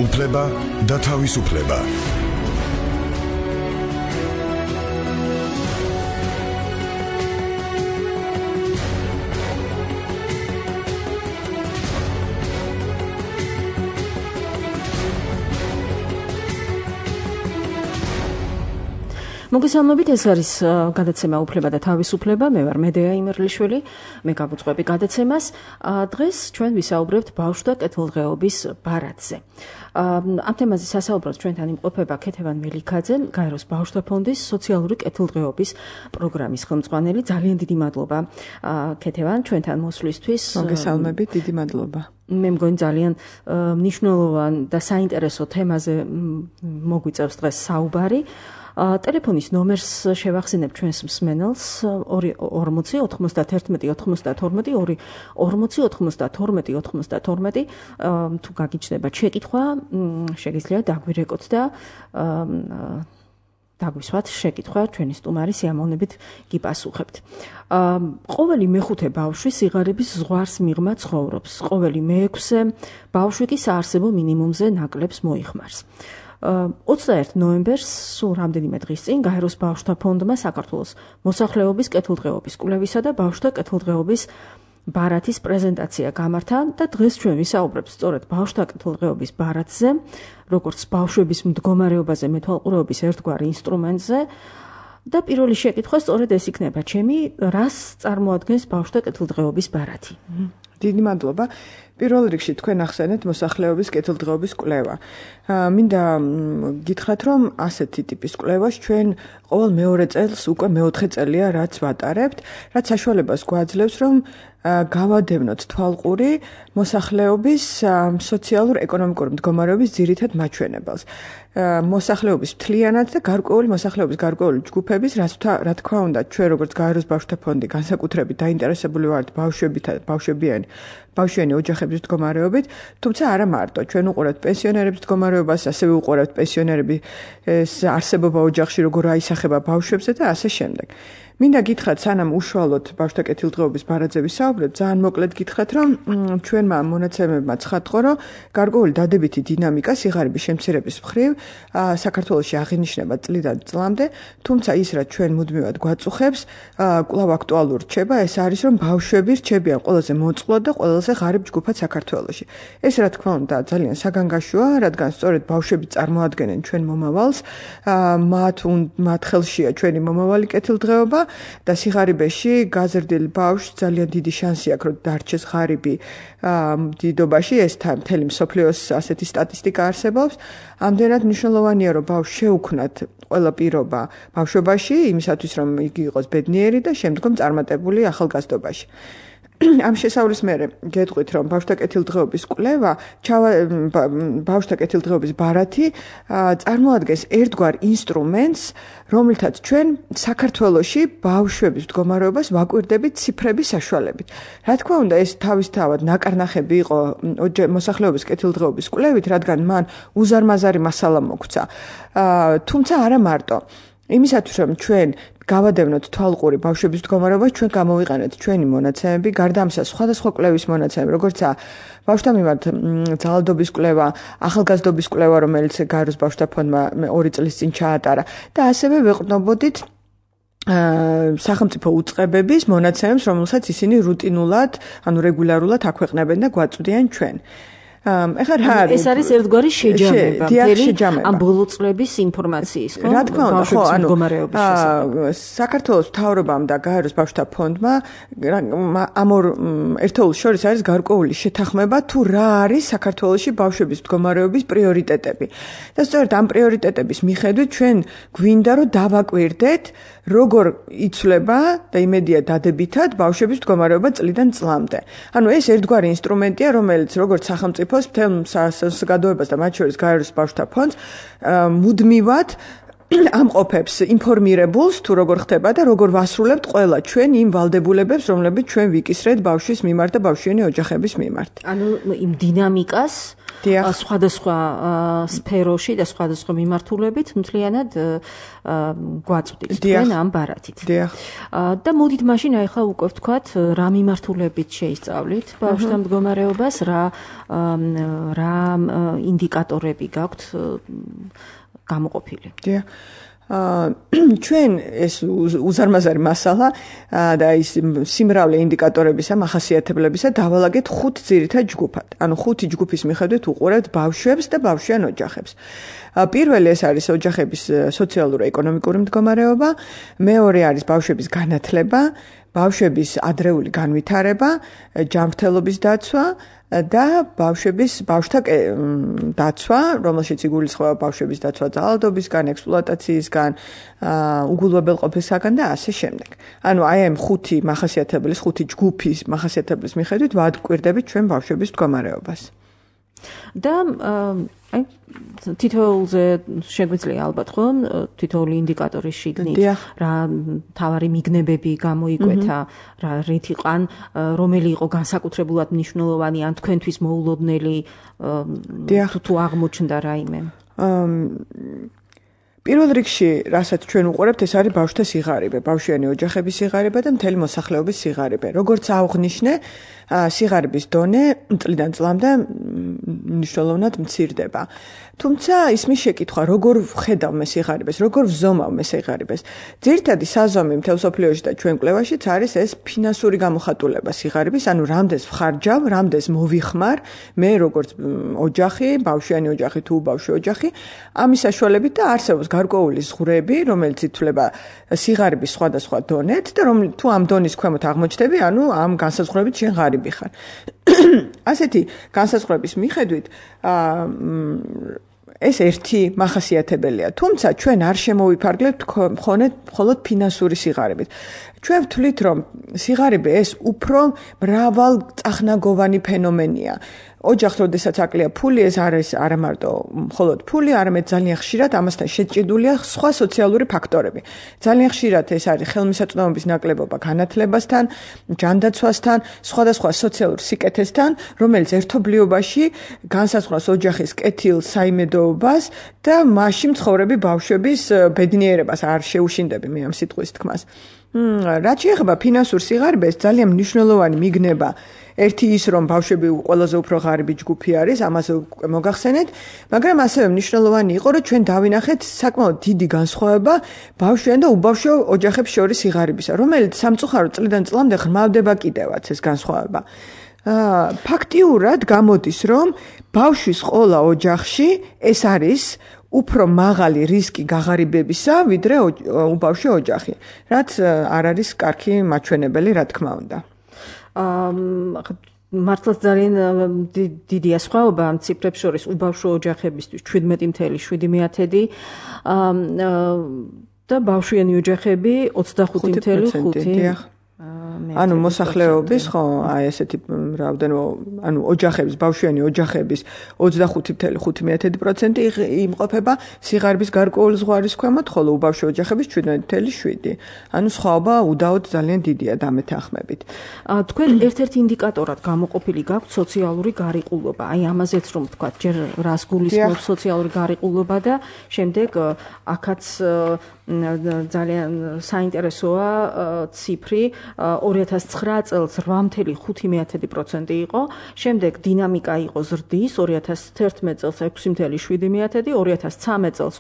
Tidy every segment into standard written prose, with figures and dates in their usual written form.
უფლება და თავისუფლება. მოგესალმებით, ეს არის გადაცემა უფლება და თავისუფლება. მე ვარ მედეა იმერლიშვილი, მე გავუძღვები გადაცემას. დღეს ჩვენ ვისაუბრებთ ბავშვთა კეთილდღეობის ბარათზე. ამ თემაზე სასაუბროს ჩვენთან იმყოფება ქეთევან მელიქაძე, გაეროს ბავშვთა ფონდის სოციალური კეთილდღეობის პროგრამის ხელმძღვანელი. ძალიან დიდი მადლობა ქეთევან ჩვენთან მოსვლისთვის. მოგესალმებით, დიდი მადლობა. მე მგონი ძალიან მნიშვნელოვან და საინტერესო თემაზე მოგვიწევს დღეს საუბარი. ტელეფონის ნომერს შევახსენებ ჩვენს მსმენელს 40 91 92 2 40 92 92. თუ გაგიჩნდებათ შეკითხვა, შეგიძლიათ დაგვირეკოთ და დაგვისვათ შეკითხვა, ჩვენი სტუმარი სიამოვნებით გიპასუხებთ. ყოველი მეხუთე ბავშვი სიღარიბის ზღვარს მიღმა ცხოვრობს. ყოველი მეექვსე ბავშვი კი საარსებო მინიმუმზე ნაკლებს მოიხმარს. 21 ნოემბერს, სულ რამდენიმე დღის წინ, გაეროს ბავშვთა ფონდმა საქართველოს მოსახლეობის კეთილდღეობის კვლევისა და ბავშვთა კეთილდღეობის ბარათის პრეზენტაცია გამართა და დღეს ჩვენ ვისაუბრებთ სწორედ ბავშვთა კეთილდღეობის ბარათზე, როგორც ბავშვების მდგომარეობაზე მეთვალყურეობის ერთგვარ ინსტრუმენტზე. და პირველი შეკითხვა სწორედ ეს იქნება, ჩემი, რას წარმოადგენს ბავშვთა კეთილდღეობის ბარათი? დიდი მადლობა. პირველ რიგში თქვენ ახსენეთ მოსახლეობის კეთილდღეობის კვლევა. მინდა გითხრათ, რომ ასეთი ტიპის კვლევას ჩვენ ყოველ მეორე წელს უკვე მეოთხე წელია რაც ვატარებთ, რაც საშუალებას გვაძლევს, რომ გავადევნოთ თვალყური მოსახლეობის სოციალურ-ეკონომიკური მდგომარეობის ძირითად მაჩვენებელს. მოსახლეობის მთლიანად და გარკვეული მოსახლეობის გარკვეული ჯგუფების, რა თქმა უნდა, ჩვენ როგორც გაეროს ბავშვთა ფონდი განსაკუთრებით დაინტერესებული ვართ ბავშვიანი ოჯახების მდგომარეობით, თუმცა არა მარტო. ჩვენ უყურებთ პენსიონერების მდგომარეობას, ასევე უყურებთ პენსიონერების არსებობა ოჯახში, როგორ აისახება ბავშვებზე და ასე შემდეგ. მინდა გითხრათ, სანამ უშუალოდ ბავშვთა კეთილდღეობის ბარათზე ვისაუბრებთ, ძალიან მოკლედ გითხრათ, რომ ჩვენმა მონაცემებმა ცხადყო, რომ გარკვეული დადებითი დინამიკა სიღარიბის შემცირების მხრივ საქართველოში აღინიშნება წლიდან წლამდე, თუმცა ის, რაც ჩვენ მუდმივად გვაწუხებს, კვლავ აქტუალურ რჩება, ეს არის, რომ ბავშვები რჩებიან ყველაზე მოწყვლად და ყველაზე ღარიბ ჯგუფად საქართველოში. ეს, რა თქმა უნდა, ძალიან საგანგაშოა, რადგან სწორედ ბავშვები წარმოადგენენ ჩვენ მომავალს, მათ ხელშია ჩვენი მომავალი კეთილდღეობა. და სიღარიბეში გაზრდილ ბავშვს ძალიან დიდი შანსი აქვს, რომ დარჩეს ღარიბი დიდობაში, ეს მთელი მსოფლიოს ასეთი სტატისტიკა არსებობს. ამდენად მნიშვნელოვანია, რომ ბავშვს შეუქმნათ ყველა პირობა ბავშვობაში, იმისათვის, რომ იგი იყოს ბედნიერი და შემდგომ წარმატებული ახალგაზრდობაში. ამ შესავლის მერე გეტყვით, რომ ბავშვთა კეთილდღეობის კვლევა, ბავშვთა კეთილდღეობის ბარათი წარმოადგენს ერთგვარ ინსტრუმენტს, რომლითაც ჩვენ საქართველოში ბავშვების მდგომარეობას ვაკვირდებით ციფრების საშუალებით. რა თქმა უნდა, ეს თავისთავად ნაკარნახები იყო მოსახლეობის კეთილდღეობის კვლევით, რადგან მან უზარმაზარი მასალა მოგვცა. თუმცა არა მარტო. იმისათვის, რომ ჩვენ გავადევნოთ თვალყური ბავშვების მდგომარეობას, ჩვენ გამოვიყენეთ ჩვენი მონაცემები, გარდა ამისა სხვადასხვა კვლევის მონაცემები, როგორცაა ბავშვთა მიმართ ძალადობის კვლევა, ახალგაზრდობის კვლევა, რომელიც გაეროს ბავშვთა ფონდმა 2 წლის წინ ჩაატარა და ასევე ვეყრდნობოდით სახელმწიფო უწყებების მონაცემებს, რომელსაც ისინი რუტინულად, რეგულარულად აქვეყნებენ და გვაწვდიან ჩვენ. ეხლა რა არის? ეს არის ერთგვარი შეჯამება, ამ ბოლო წლების ინფორმაციის, ხო? რა თქმა უნდა, ხო, საქართველოს მთავრობამ და გაეროს ბავშვთა ფონდმა ამ ორ ერთეულს შორის არის გარკვეული შეთანხმება, თუ რა არის საქართველოში ბავშვების მდგომარეობის პრიორიტეტები. და სწორედ ამ პრიორიტეტების მიხედვით ჩვენ გვინდა, რომ დავაკვირდეთ, როგორ იცვლება და იმედია დადებითად ბავშვების მდგომარეობა წლიდან წლამდე. ეს ერთგვარი ინსტრუმენტია, რომელიც როგორც სახელმწიფოს მთელ საზოგადოებას და მათ შორის გაეროს ბავშვთა ფონდს მუდმივად ამყოფებს ინფორმირებულს, თუ როგორ ხდება და როგორ ვასრულებთ ყველა ჩვენ იმ ვალდებულებებს, რომლებიც ჩვენ ვიკისრეთ ბავშვის მიმართ და ბავშვიანი ოჯახების მიმართ. იმ დინამიკას სხვადასხვა სფეროში და სხვადასხვა მიმართულებით მთლიანად გვაწვდით თქვენ ამ ბარათით. და მოდით მაშინ ახლა უკვე ვთქვათ რა მიმართულებით შეისწავლით ბავშვთა მდგომარეობას, რა ინდიკატორები გაქვთ გამოყოფილი. ჩვენ ეს უზარმაზარი მასალა და ის სიმრავლე ინდიკატორებისა, მახასიათებლებისა დავალაგეთ 5 ძირითად ჯგუფად. ანუ 5 ჯგუფის მიხედვით უყურებთ ბავშვებს და ბავშვიან ოჯახებს. პირველი ეს არის ოჯახების სოციალურ-ეკონომიკური მდგომარეობა, მეორე არის ბავშვების განათლება, ბავშვების ადრეული განვითარება, ჯანმრთელობის დაცვა და ბავშვთა დაცვა, რომელშიც იგულისხმება ბავშვების დაცვა ძალადობისგან, ექსპლუატაციისგან, უგულებელყოფისგან და ასე შემდეგ. ანუ აი ამ 5 მახასიათებლის, 5 ჯგუფის მახასიათებლის მიხედვით ვადკვირდებით ჩვენ ბავშვების მდგომარეობას. და აი თითოეულზე შეგვიძლია ალბათ ხომ თითოეული ინდიკატორის შიგნით რა თავარი მიგნებები გამოიკვეთა, რა რით იყან, რომელი იყო განსაკუთრებულად მნიშვნელოვანი ან თქვენთვის მოულოდნელი თუ აღმოჩნდა რაიმე. პირველ რიგში, რასაც ჩვენ უყურებთ, ეს არის ბავშვთა სიღარიბე, ბავშვიანი ოჯახების სიღარიბე და მთელი მოსახლეობის სიღარიბე. როგორც აღვნიშნე, სიღარიბის დონე წლიდან წლამდე მნიშვნელოვნად მცირდება. თუმცა ისმის შეკითხვა, როგორ ვხედავ მე სიღარიბეს, როგორ ვზომავ მე სიღარიბეს. ძირითადი საზომი მთელ მსოფლიოში და ჩვენ კვლევაშიც არის ეს ფინანსური გამოხატულება სიღარიბის, ანუ რამდენს ვხარჯავ, რამდენს მოვიხმარ მე როგორც ოჯახი, ბავშვიანი ოჯახი თუ ბავშვი ოჯახი, ამის საშუალებით და არსებობს გარკვეული ზღვრები, რომელიც ითვლება სიღარიბის სხვადასხვა დონეთ და თუ ამ დონის ქვემოთ აღმოჩნდები, ანუ ამ განსაზღვრებით შენ ღარიბი ხარ. ასეთი განსაზღვრების მიხედვით ეს ერთი მახასიათებელია. თუმცა ჩვენ არ შემოვიფარგლებთ მხოლოდ ფინანსური სიღარიბით. ჩვენ ვთვლით, რომ სიღარიბე ეს უფრო მრავალწახნაგოვანი ფენომენია. ოჯახს, როდესაც აკლია ფული, ეს არის არა მარტო მხოლოდ ფული, არამედ ძალიან ხშირად ამასთან შეჭიდულია სხვა სოციალური ფაქტორები. ძალიან ხშირად ეს არის ხელმისაწვდომობის ნაკლებობა განათლებასთან, ჯანდაცვასთან, სხვადასხვა სოციალურ სიკეთესთან, რომელიც ერთობლიობაში განსაზღვრავს ოჯახის კეთილ საიმედოობას და მასში მცხოვრები ბავშვების ბედნიერებას. არ შეუშინდები მე ამ სიტყვის თქმას. რაც შეეხება ფინანსურ სიღარიბეს, ძალიან მნიშვნელოვანი მიგნება ერთი ის, რომ ბავშვები ყველაზე უფრო ღარიბი ჯგუფი არის, ამაზე უკვე მოგახსენეთ, მაგრამ ასევე მნიშვნელოვანი იყო, რომ ჩვენ დავინახეთ საკმაოდ დიდი განსხვავება ბავშვიან და უბავშვო ოჯახებს შორის სიღარიბისა, რომელიც სამწუხაროდ წლიდან წლამდე ღრმავდება კიდევაც ეს განსხვავება. ფაქტიურად გამოდის, რომ ბავშვის ყოლა ოჯახში ეს არის უფრო მაღალი რისკი გაღარიბებისა, ვიდრე უბავშვო ოჯახი, რაც არ არის კარგი მაჩვენებელი, რა თქმა უნდა. მართლაც ძალიან დიდია სხვაობა ამ ციფრებს შორის უბავშვო ოჯახებისთვის 17.7 და ბავშვიანი ოჯახები 25.5. ანუ მოსახლეობის ხო აი ესეთი რაოდენობა ანუ ოჯახების ბავშვიანი ოჯახების 25.5% იმყოფება სიღარიბის გარკვეული ზღვარის ქვემოთ, ხოლო უბავშვო ოჯახების 17.7. ანუ სხვაობა უდაოდ ძალიან დიდია დამეთანხმებით. თქვენ ერთ-ერთ ინდიკატორად გამოყოფილი გაქვთ სოციალური გარიყულობა. აი ამაზეც რომ ვთქვათ, ჯერ რას გულისხმობს სოციალური გარიყულობა და შემდეგ აქაც ძალიან საინტერესოა ციფრი 2009 წელს 8.5% იყო, შემდეგ დინამიკა იყო ზრდის, 2011 წელს 6.7%, 2013 წელს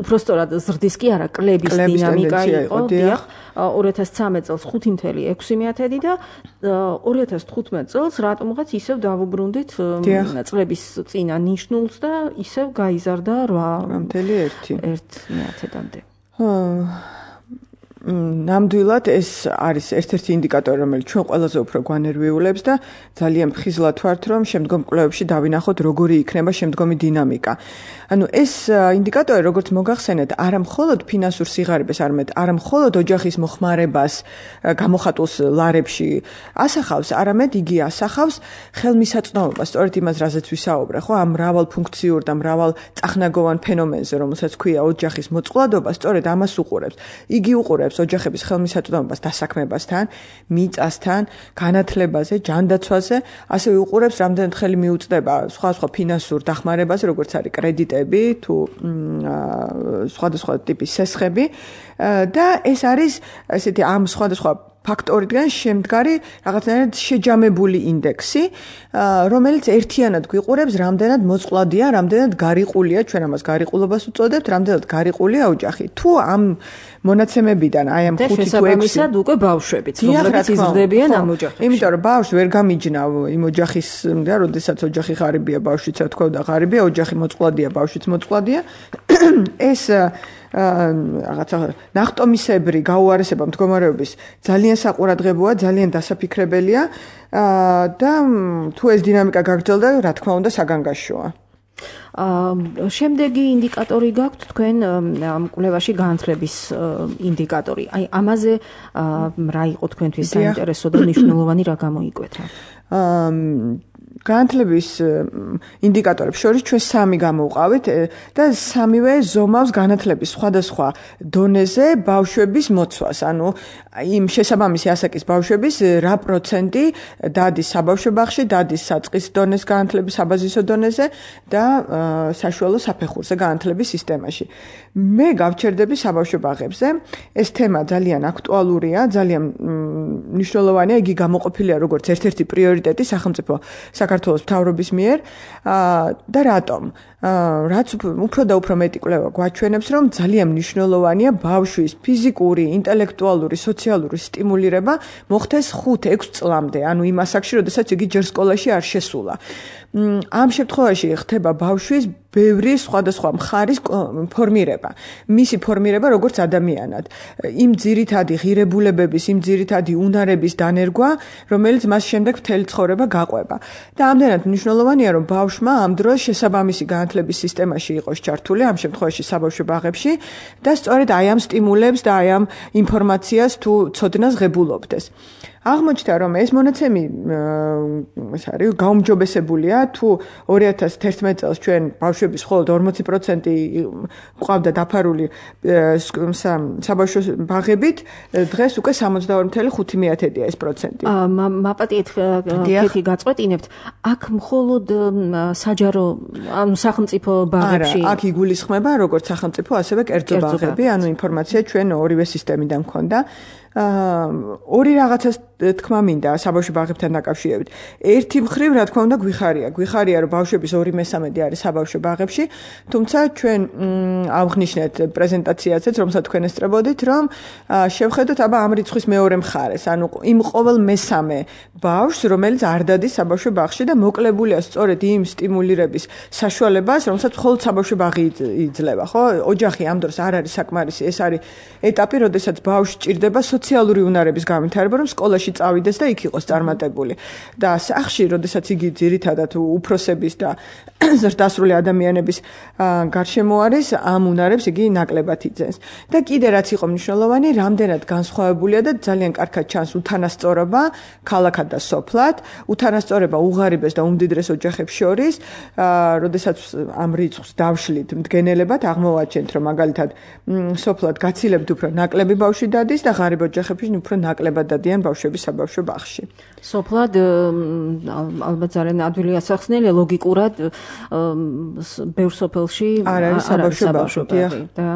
უпростоრად ზრდის კი არა, კლების დინამიკა იყო, დიახ, 2013 წელს 5.6% და 2015 წელს რატომღაც ისევ დავუბრუნდით წლების წინა ნიშნულს და ისევ გაიზარდა 8.1%-მდე. ნამდვილად ეს არის ერთ-ერთი ინდიკატორი, რომელიც ჩვენ ყველაზე უფრო გვანერვიულებს და ძალიან მხიზლად ვართ, რომ შემდგომ კვლევებში დავინახოთ, როგორი იქნება შემდგომი დინამიკა. ანუ ეს ინდიკატორი, როგორც მოგახსენეთ, არა მხოლოდ ფინანსურ სიღარიბეს, არა მხოლოდ ოჯახის მოხმარებას გამოხატულს ლარებში ასახავს, არამედ იგი ასახავს ხელმისაწვდომობას, სწორედ იმას, რაზეც ვისაუბრე, ხო, ამ მრავალფუნქციურ და მრავალწახნაგოვან ფენომენზე, რომელსაც ქვია ოჯახის მოწყვლადობა, სწორედ ამას უყურებს. იგი უყურებს უყურებს ოჯახების ხელმისაწვდომობას დასაქმებასთან, მიწასთან, განათლებაზე, ჯანდაცვაზე, ასევე უყურებს რამდენად ხელი მიუწვდება სხვა ფინანსურ დახმარებაზე, როგორც არის კრედიტები თუ სხვადასხვა ტიპის სესხები და ეს არის ესეთი ამ სხვადასხვა ფაქტორიდან შემდგარი რაღაცნაირად შეჯამებული ინდექსი, რომელიც ერთიანად გვიყურებს, რამდენად მოწყვლადია, რამდენად გარიყულია, ჩვენ ამას გარიყულობას უწოდებთ, რამდენად გარიყულია ოჯახი. თუ ამ მონაცემებიდან, აი ამ 5 თუ 6 შესაბამისად უკვე ბავშვებიც, რომლებიც იზრდებიან ამ ოჯახებში. იმიტომ რომ ბავშვი ვერ გამიჯნა იმ ოჯახის და როდესაც ოჯახი ღარიბია, ბავშვიც რა თქვა და ღარიბია, ოჯახი მოწყვლადია, ბავშვიც მოწყვლადია. ეს რაღაცა ნახტომისებრი გაუარესება მდგომარეობის ძალიან საყურადღებოა, ძალიან დასაფიქრებელია და თუ ეს დინამიკა გაგრძელდა, რა თქმა უნდა, საგანგაშოა. შემდეგი ინდიკატორი გაქვთ თქვენ ამ კვლევაში განათლების ინდიკატორი. აი ამაზე რა იყო თქვენთვის საინტერესო და მნიშვნელოვანი რა გამოიკვეთა? განათლების ინდიკატორებს შორის ჩვენ 3 გამოვყავით და სამივე ზომავს განათლების სხვადასხვა დონეზე ბავშვების მოცვას. ანუ იმ შესაბამისი ასაკის ბავშვების რა პროცენტი დადის საბავშვო ბაღში, დადის საწყის დონეს განათლების საბაზისო დონეზე და საშუალო საფეხურზე განათლების სისტემაში. მე გავჩერდები საბავშვო ბაღებზე. ეს თემა ძალიან აქტუალურია, ძალიან მნიშვნელოვანია, იგი გამოყოფილია როგორც ერთ-ერთი პრიორიტეტი სახელმწიფო საქართველოს მთავრობის მიერ და რატომ? რაც უფრო და უფრო მეტი კვლევა გვაჩვენებს, რომ ძალიან მნიშვნელოვანია ბავშვის ფიზიკური, ინტელექტუალური, სოციალური სტიმულირება მოხდეს 5-6 წლამდე, ანუ იმ ასაკში, როდესაც იგი ჯერ სკოლაში არ შესულა. ამ შემთხვევაში ხდება ბავშვის ბევრი სხვადასხვა მხარის ფორმირება. მისი ფორმირება როგორც ადამიანად. იმ ძირითადი ღირებულებების, იმ ძირითადი უნარების დანერგვა, რომელიც მას შემდეგ მთელი ცხოვრება გაყვება. და ამდენად მნიშვნელოვანია, რომ ბავშვმა ამ დროს შესაბამისი განათლების სისტემაში იყოს ჩართული, ამ შემთხვევაში საბავშვო ბაღებში და სწორედ აი ამ სტიმულებს და აი ამ ინფორმაციას თუ ცოდნას ღებულობდეს. აღმოჩნდა, რომ ეს მონაცემი ეს არის გაუმჯობესებულია, თუ 2011 წელს ჩვენ ბავშვების მხოლოდ 40% ყავდა დაფარული საბავშვო ბაღებით, დღეს უკვე 62.5%-ია ეს პროცენტი. მაპატიეთ კეთი გაწყვეტინებთ, აქ მხოლოდ საჯარო, ანუ სახელმწიფო ბაღებში? არა, აქ იგულისხმება როგორც სახელმწიფო, ასევე კერძო ბაღები, ანუ ინფორმაცია ჩვენ ორივე სისტემიდან მქონდა. ორი რაღაცას თქმა მინდა საბავშვო ბაღებთან დაკავშირებით. ერთი მხრივ, რა თქმა უნდა, გვიხარია, რომ ბავშვების 2/3 არის საბავშვო ბაღებში, თუმცა ჩვენ ავღნიშნეთ პრეზენტაციაზეც, რომელსაც თქვენ ესწრებოდით, რომ შევხედოთ აბა ამ რიცხვის მეორე მხარეს, ანუ იმ ყოველ მესამე ბავშვს, რომელიც არ დადის საბავშვო ბაღში და მოკლებულია სწორედ იმ სტიმულირების საშუალებას, რომელსაც მხოლოდ საბავშვო ბაღი იძლევა, ხო? ოჯახი ამ დროს არ არის საკმარისი, ეს არის ეტაპი, როდესაც ბავშვი ჭირდება სოციალური უნარების განვითარება, რომ სკოლაში წავიდეს და იქ იყოს წარმატებული. და სახში, როდესაც იგი ძირითადად უფროსების და ზრდასრული ადამიანების გარშემო არის, ამ უნარებს იგი ნაკლებად იძენს. და კიდე რაც იყო მნიშვნელოვანი, რამდენად განსხვავებულია და ძალიან კარგად ჩანს უთანასწორობა ქალაქად და სოფლად, უთანასწორობა უღარიბეს და უმდიდრეს ოჯახებს შორის, როდესაც ამ რიცხვს დავშლით მდგენელებად, აღმოვაჩენთ, რომ მაგალითად სოფლად გაცილებთ უფრო ნაკლები ბავშვი დადის და ღარიბ ოჯახებში უფრო ნაკლებად დადიან ბავშვები საბავშვო ბაღში. სოფლად ალბათ ძალიან ადვილი ასახსნელია ლოგიკურად ბევრ სოფელში არ არის საბავშვო ბაღი და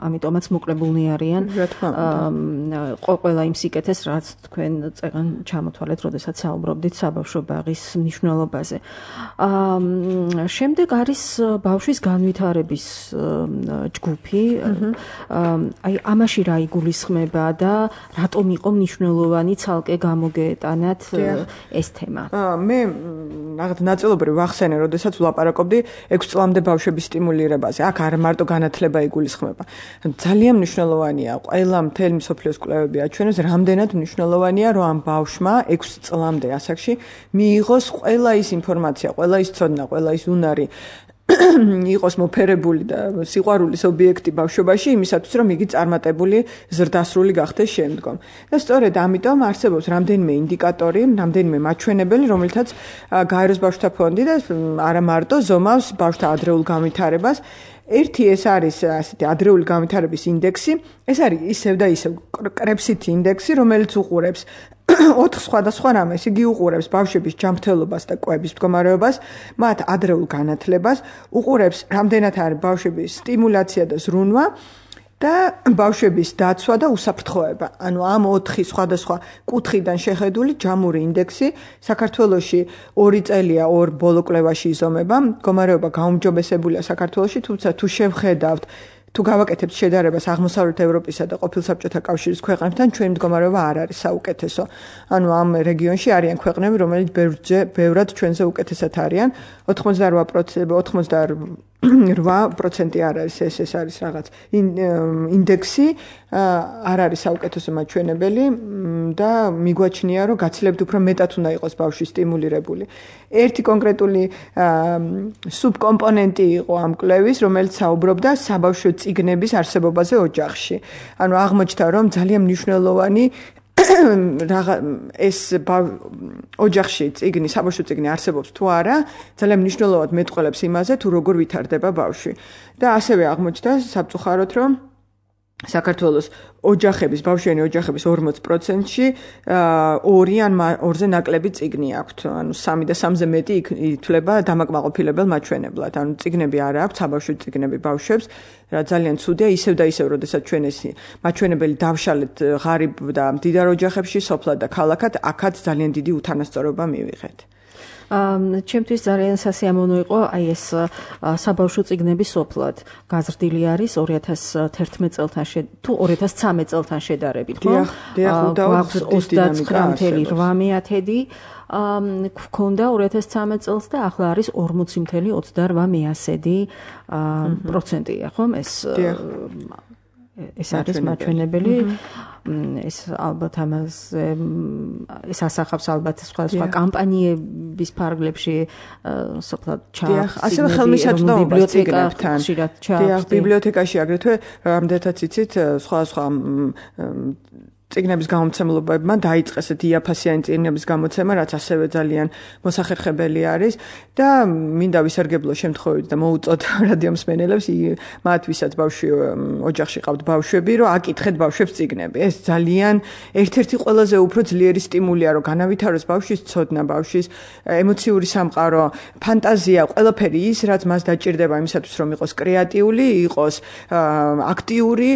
ამიტომაც მოკლებულნი არიან ყველა იმ სიკეთეს, რაც თქვენ წეგან ჩამოთვალეთ, როდესაც საუბრობდით საბავშვო ბაღის მნიშვნელობაზე. შემდეგ არის ბავშვის განვითარების ჯგუფი. აი ამაში რა იგულისხმება და რატომ იყო მნიშვნელოვანი ცალკე გამოგეტანათ ეს თემა? მე რაღაც ნაწილობრივ ვახსენე, როდესაც ვლაპარაკობდი 6 წლამდე ბავშვების სტიმულირებაზე. აქ არ მარტო განათლება იგულისხმება. ძალიან მნიშვნელოვანია, ყველა მთელი მსოფლიოს კვლევები აჩვენებს, რამდენად მნიშვნელოვანია, რომ ამ ბავშვმა 6 წლამდე ასაკში მიიღოს ყველა ის ინფორმაცია, ყველა ის ცოდნა, ყველა ის უნარი, იყოს მოფერებული და სიყვარულის ობიექტი ბავშვობაში, იმისათვის, რომ იგი წარმატებული ზრდასრული გახდეს შემდგომ. და სწორედ ამიტომ არსებობს რამდენიმე ინდიკატორი, რამდენიმე მაჩვენებელი, რომელთაც გაეროს ბავშვთა ფონდი და არა მარტო ზომავს ბავშვთა ადრეულ განვითარებას. ერთი ეს არის ასეთი ადრეული განვითარების ინდექსი, ეს არის ისევ და ისევ კრებსითი ინდექსი, რომელიც უყურებს 4 სხვადასხვა რამეს. იგი უყურებს ბავშვების ჯანმრთელობას და კვების მდგომარეობას, მათ ადრეულ განათლებას, უყურებს რამდენად არის ბავშვების სტიმულაცია და ზრუნვა და ბავშვების დაცვა და უსაფრთხოება. ანუ ამ 4 სხვადასხვა კუთხიდან შეხედული ჯამური ინდექსი საქართველოში 2 წელია 2 ბოლო კვლევაში იზომება. მდგომარეობა გაუმჯობესებულია საქართველოში, თუმცა თუ შევხედავთ თუ გავაკეთებთ შედარებას აღმოსავლეთ ევროპისა და ყოფილ საბჭოთა კავშირის ქვეყნებთან, ჩვენი მდგომარეობა არ არის საუკეთესო. ანუ ამ რეგიონში არიან ქვეყნები, რომელიც ბევრად ჩვენზე უკეთესად არიან. 88% არ არის ეს არის რაღაც ინდექსი, არ არის საუკეთესო მაჩვენებელი და მიგვაჩნია, რომ გაცილებით უფრო მეტად უნდა იყოს ბავშვი სტიმულირებული. ერთი კონკრეტული სუბკომპონენტი იყო ამ კვლევის, რომელიც საუბრობდა საბავშვო წიგნების არსებობაზე ოჯახში. ანუ აღმოჩნდა, რომ ძალიან მნიშვნელოვანი ეს ოჯახში წიგნი, საბავშვო წიგნი არსებობს თუ არა, ძალიან მნიშვნელოვნად მეტყველებს იმაზე, თუ როგორ ვითარდება ბავშვი. და ასევე აღმოჩნდა საბწუხაროდ, რომ საქართველოს ოჯახების, ბავშვიანი ოჯახების 40%-ში 2 ან 2-ზე ნაკლები წიგნი აქვთ. ანუ 3 და 3-ზე მეტი ითვლება დამაკმაყოფილებელ მაჩვენებლად. ანუ წიგნები არ აქვთ, საბავშვო წიგნები ბავშვებს, რა ძალიან ცუდია, ისევ და ისევ, როდესაც ჩვენ ეს მაჩვენებელი დავშალეთ ღარიბ და მდიდარ ოჯახებში, სოფლად და ქალაქად, აქაც ძალიან დიდი უთანასწორობა მივიღეთ. ჩემთვის ძალიან სასიამოვნო იყო აი ეს საბავშვო წიგნები სოფლად გაზრდილი არის 2011 წელთან თუ 2013 წელთან შედარებით, ხო? გვაქვს 29.8 გქონდა 2013 წელს და ახლა არის 40.28%, ხო? ეს არის მაჩვენებელი. ეს ალბათ ამაზე ეს ასახავს ალბათ სხვა კამპანიების ფარგლებში სოფლად ჩაახს. ასევე ხელმისაწვდომობა წიგნებთან. ბიბლიოთეკაში აგრეთვე რამდენადაც იცით სხვა წიგნების გამოცემლებმა დაიწყეს დიაფასიანი წიგნების გამოცემა, რაც ასევე ძალიან მოსახერხებელი არის და მინდა ვისარგებლო შემთხვევით და მოუწოდ რადიო მსმენელებს, მათ ვისაც ოჯახში ყავთ ბავშვები, რომ აკითხეთ ბავშვებს წიგნები. ეს ძალიან ერთ-ერთი ყველაზე უფრო ძლიერი სტიმულია, რომ განავითაროს ბავშვის ცოდნა, ბავშვის ემოციური სამყარო, ფანტაზია, ყველაფერი ის, რაც მას დაჭირდება იმისათვის, რომ იყოს კრეატიული, იყოს აქტიური,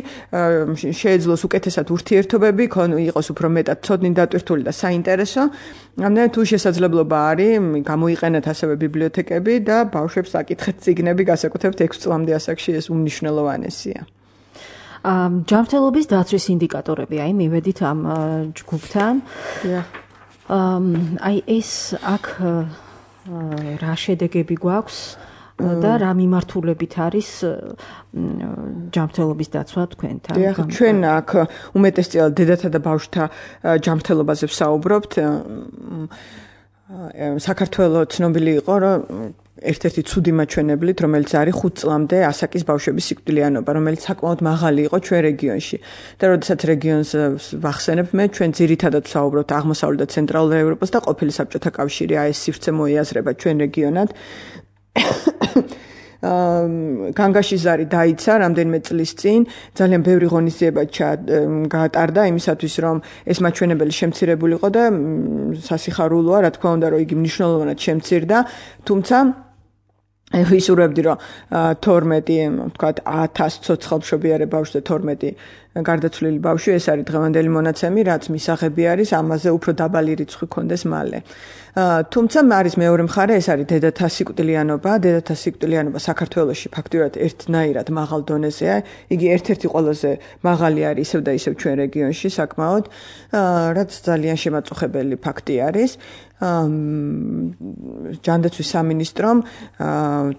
შეეძლოს უკეთესად ურთიერთობები, იყოს უფრო მეტად ცოდნით დატვირთული და საინტერესო. ამდენად თუ შესაძლებლობა არის, გამოიყენეთ ასევე ბიბლიოთეკები და ბავშვებს აკითხეთ წიგნები, განსაკუთრებით 6 წლამდე ასაკში ეს უმნიშვნელოვანესია. ჯანმრთელობის დაცვის ინდიკატორები, აი მივედით ამ ჯგუფთან. აი ეს აქ რა შედეგები გვაქვს და რა მიმართულებით არის ჯანმრთელობის დაცვა თქვენთან? ჩვენ აქ უმეტესწილად დედათა და ბავშვთა ჯანმრთელობაზე ვსაუბრობთ. საქართველოს ცნობილი იყო, რომ ერთ-ერთი ცუდი მაჩვენებლით, რომელიც არის 5 წლამდე ასაკის ბავშვების სიკვდილიანობა, რომელიც საკმაოდ მაღალი იყო ჩვენ რეგიონში. და როდესაც რეგიონს ვახსენებ, ჩვენ ძირითადად ვსაუბრობთ აღმოსავლეთ და ცენტრალურ ევროპას და ყოფილი საბჭოთა კავშირი, ეს სივრცე მოიაზრება ჩვენ რეგიონად. განგაშიზარი დაიცა რამდენიმე წლის წინ, ძალიან ბევრი ღონისძიება გაატარდა იმისათვის, რომ ეს მაჩვენებელი შემცირებულიყო და სასიხარულოა, რა თქმა უნდა, რომ იგი მნიშვნელოვნად შემცირდა, თუმცა ვისურვებდი, რომ 12, თქვათ 1000 ცოცხალმშობიარე ბავშვი და 12 გარდაცვლილი ბავშვი, ეს არის დღევანდელი მონაცემი, რაც მისაღები არის, ამაზე უფრო დაბალი რიცხვი ქონდეს მალე. თუმცა არის მეორე მხარე, ეს არის დედათა სიკვდილიანობა. დედათა სიკვდილიანობა საქართველოში ფაქტიურად ერთნაირად მაღალ დონეზეა. იგი ერთ-ერთი ყველაზე მაღალი არის ისევ და ისევ ჩვენ რეგიონში საკმაოდ, რაც ძალიან შემაწუხებელი ფაქტი არის. ჯანდაცვის სამინისტრომ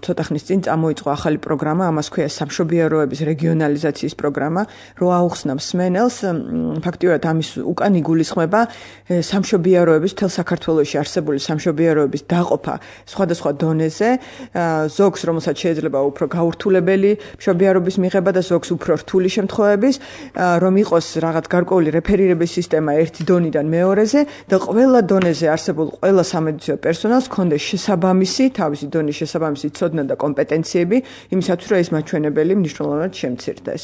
ცოტა ხნის წინ წამოიწყო ახალი პროგრამა, ამას ქვია სამშობიაროების რეგიონალიზაციის პროგრამა, რო გაუხსნა მსმენელს ფაქტიურად ამის უკან იგულისხმება სამშობიაროების თელ საქართველოში არსებული სამშობიაროების დაყოფა სხვადასხვა დონეზე ზოგს რომელსაც შეიძლება უფრო გაურთულებელი მშობიარობის მიღება და ზოგს უფრო რთული შემთხვევების რომ იყოს რაღაც გარკვეული რეფერირების სისტემა ერთი დონიდან მეორეზე და ყველა დონეზე არსებულ ყველა სამედიცინო პერსონალს ჰქონდეს შესაბამისი თავისი დონის შესაბამისი ცოდნა და კომპეტენციები იმისათვის რომ ეს მაჩვენებელი მნიშვნელოვნად შემცირდეს.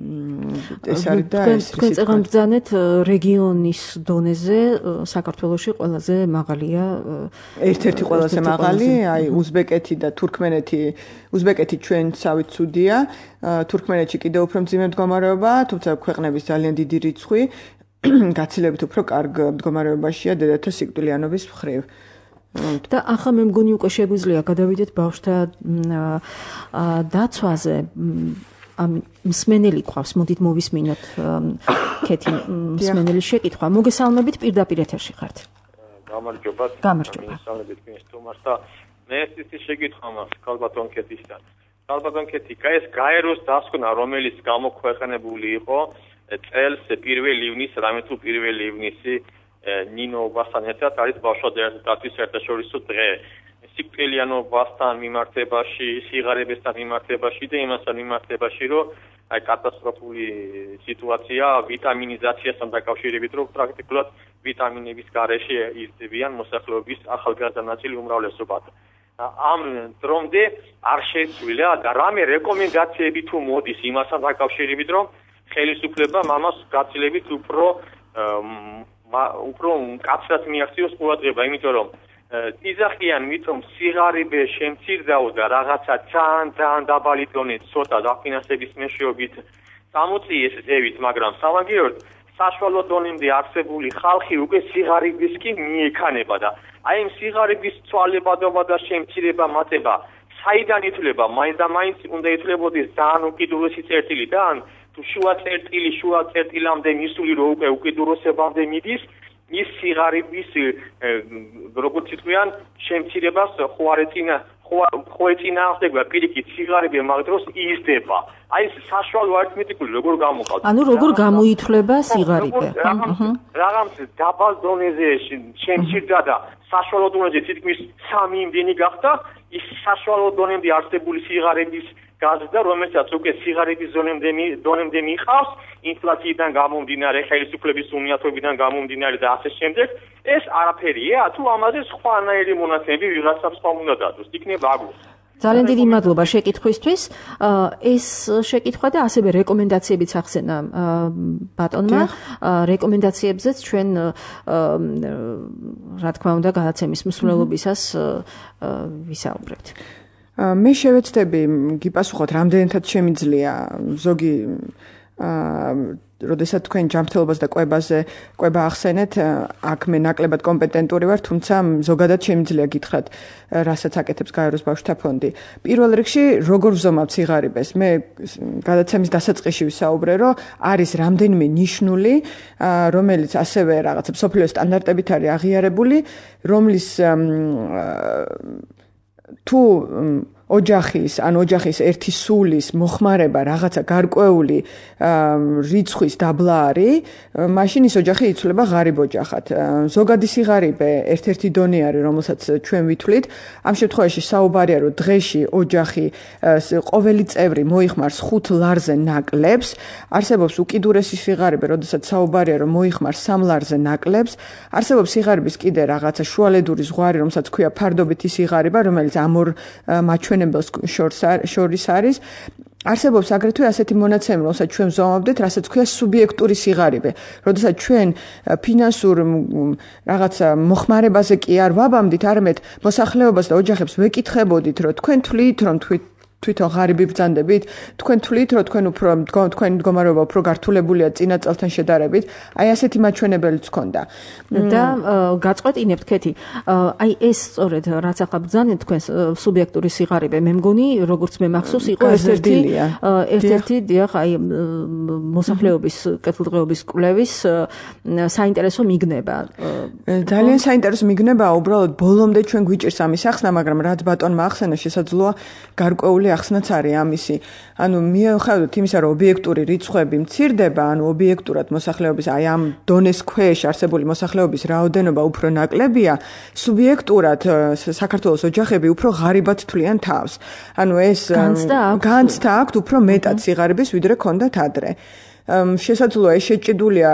ეს არის და ეს თქვენ წეგან ბრძანეთ რეგიონის დონეზე საქართველოში ყველაზე მაღალია ერთ-ერთი ყველაზე მაღალი აი უზბეკეთი და თურქმენეთი უზბეკეთი ჩვენსავით ცუდია თურქმენეთში კიდევ უფრო მძიმე მდგომარეობა თუმცა ქვეყნების ძალიან დიდი რიცხვი გაცილებით უფრო კარგ მდგომარეობაშია დედათა სიკვდილიანობის მხრივ და ახლა მე მგონი უკვე შეგვიძლია გადავიდეთ ბავშვთა დაცვაზე ამ მსმენელი ყავს მოდით მოვისმინოთ ქეთი მსმენელი შეკითხვა მოგესალმებით პირდაპირ ეთერში ხართ გამარჯობა მოგესალმებით თქვენს თომას და მე ეს შეკითხვა მაქვს ქალბატონ ქეთისთან ქალბატონ ქეთი ეს გაეროს დასკვნა რომელიც გამოქვეყნებული იყო წელს 1 ივნისს რამე თუ 1 ივნისი ნინოვასთან ერთად არის ბავშვთა დაცვის საერთაშორისო დღე სიკვდილიანობასთან მიმართებაში, სიღარიბესთან მიმართებაში და იმასთან მიმართებაში, რომ აი კატასტროფული სიტუაცია ვიტამინიზაციასთან დაკავშირებით, რომ პრაქტიკულად ვიტამინების გარეშე იზრდებიან მოსახლეობის ახალგაზრდა ნაწილი უმრავლესობად. ამ დრომდე არ შეცვლილა და რამე რეკომენდაციები თუ მოდის იმასთან დაკავშირებით, რომ ხელისუფლება მამას გაცილებით უფრო მკაცრად მიაღწიოს ყურადღება, იმიტომ რომ იზახიან მითომ სიღარიბე შემცირდაო და რაღაცა ძალიან დაბალი დონით ცოტა დაფინანსების მეშვეობით წამოწიეს ზევით, მაგრამ სამაგიეროდ საშუალო დონემდე არსებული ხალხი უკვე სიღარიბის კი მიექანება და აი ამ სიღარიბის ცვალებადობა და შემცირება მატება საიდან ითვლება? მაინც და მაინც უნდა ითვლებოდეს ძალიან უკიდურესი წერტილი და ან თუ შუა წერტილამდე მისული რო უკვე უკიდურესებამდე მიდის ის სიღარიბის როგორც იტყვიან შემცირებას ხოეწინააღმდეგება პირიქით სიღარიბე მაგ დროს იზრდება. აი ეს საშუალო არითმეტიკული როგორ გამოყავთ? ანუ როგორ გამოითვლება სიღარიბე? რაღაც დაბალ დონეზე შემცირდა და საშუალო დონეზე თითქმის 3 იმდენი გახდა ის საშუალო დონემდე არსებული სიღარიბის გაზრდა, რომელსაც უკვე სიღარიბის დონემდე მიყავს, ინფლაციიდან გამომდინარე, ხელისუფლების უნიათობიდან გამომდინარე და ასე შემდეგ, ეს არაფერია, თუ ამაზე სხვანაირი მონაცემები ვიღაცამ სხვამ უნდა დადოს, იქნება აგვს. ძალიან დიდი მადლობა შეკითხვისთვის. ეს შეკითხვა და ასევე რეკომენდაციებიც ახსენა ბატონმა. რეკომენდაციებზეც ჩვენ რა თქმა უნდა გადაცემის მსვლელობისას ვისაუბრებთ. მე შევეცდები გიპასუხოთ რამდენადაც შემიძლია ზოგი როდესაც თქვენ ჯანმრთელობას და კვება ახსენეთ, აქ მე ნაკლებად კომპეტენტური ვარ, თუმცა ზოგადად შემიძლია გითხრათ, რასაც აკეთებს გაეროს ბავშვთა ფონდი. პირველ რიგში, როგორ ვზომავთ სიღარიბეს? მე გადაცემის დასაწყისში ვისაუბრე, რომ არის რამდენიმე ნიშნული, რომელიც ასევე რაღაცა მსოფლიო სტანდარტებით არის აღიარებული, რომლის თუ ოჯახის ერთი სულის მოხმარება რაღაცა გარკვეული რიცხვის დაბლა არის, მაშინ ის ოჯახი იცვლება ღარიბ ოჯახად. ზოგადი სიღარიბე ერთ-ერთი დონე არის, რომელსაც ჩვენ ვითვლით. ამ შემთხვევაში საუბარია, რომ დღეში ოჯახი ყოველი წევრი მოიხმარს 5 ლარზე ნაკლებს, არსებობს უკიდურესი სიღარიბე, როდესაც საუბარია, რომ მოიხმარს 3 ლარზე ნაკლებს, არსებობს სიღარიბის კიდე რაღაცა შუალედური ზღვარი, რომელსაც ქვია ფარდობითი სიღარიბა, რომელიც ამ ორ შორის არის. არსებობს აგრეთვე ასეთი მონაცემი, რომელსაც ჩვენ ვზომავდეთ, რასაც ქვია სუბიექტური სიღარიბე. როდესაც ჩვენ ფინანსურ რაღაცა მოხმარებაზე კი არ ვაბამდით, არამედ მოსახლეობას და ოჯახებს ვეკითხებოდით, რომ თქვენ თვლით, რომ თვითონ ღარიბი ბრძანდებით, თქვენ თვლით, რომ თქვენი მდგომარეობა უფრო გართულებულია წინა წელთან შედარებით, აი ასეთი მაჩვენებელიც ჰქონდა. და გაწყვეტინებთ ქეთი, აი ეს სწორედ რაც ახლა ბრძანეთ თქვენ სუბიექტური სიღარიბე, მე მგონი, როგორც მე მახსოვს, იყო ერთ-ერთი დიახ, აი მოსახლეობის კეთილდღეობის კვლევის საინტერესო მიგნება. ძალიან საინტერესო მიგნებაა, უბრალოდ ბოლომდე ჩვენ გვიჭირს ამის ახსნა, მაგრამ რაც ბატონმა ახსენა, შესაძლოა გარკვეული ახსნაც არის ამისი. ანუ მიუხედავად იმისა, რომ ობიექტური რიცხვები მცირდება, ანუ ობიექტურად მოსახლეობის აი ამ დონეს ქვეშ არსებული მოსახლეობის რაოდენობა უფრო ნაკლებია, სუბიექტურად საქართველოს ოჯახები უფრო ღარიბად თვლიან თავს. ანუ ეს განცდა აქვთ უფრო მეტად სიღარიბის, ვიდრე ქონდათ ადრე. შესაძლოა ეს შეჭიდულია